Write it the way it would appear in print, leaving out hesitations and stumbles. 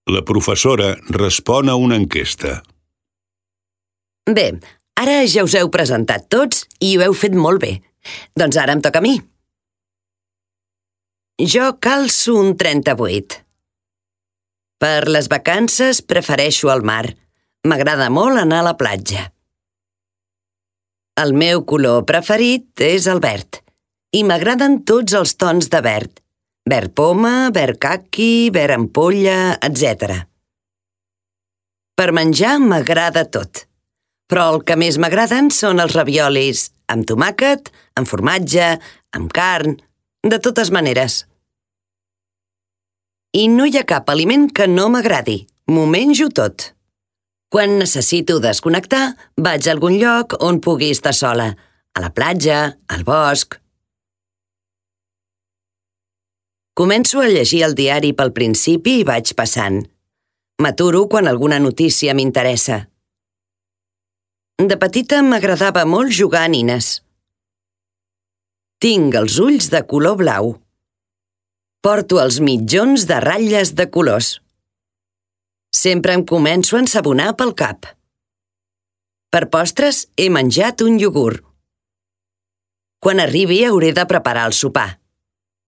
La professora respon a una enquesta. Bé, ara ja us heu presentat tots i ho heu fet molt bé. Doncs ara em toca a mi. Jo calço un 38. Per les vacances prefereixo el mar. M'agrada molt anar a la platja. El meu color preferit és el verd i m'agraden tots els tons de verd. Verd poma, verd caqui, verd ampolla, etc. Per menjar m'agrada tot, però el que més m'agraden són els raviolis amb tomàquet, amb formatge, amb carn, de totes maneres. I no hi ha cap aliment que no m'agradi, m'ho menjo tot. Quan necessito desconnectar, vaig a algun lloc on pugui estar sola, a la platja, al bosc. Començo a llegir el diari pel principi i vaig passant. M'aturo quan alguna notícia m'interessa. De petita m'agradava molt jugar a nines. Tinc els ulls de color blau. Porto els mitjons de ratlles de colors. Sempre em començo a ensabonar pel cap. Per postres he menjat un iogurt. Quan arribi hauré de preparar el sopar.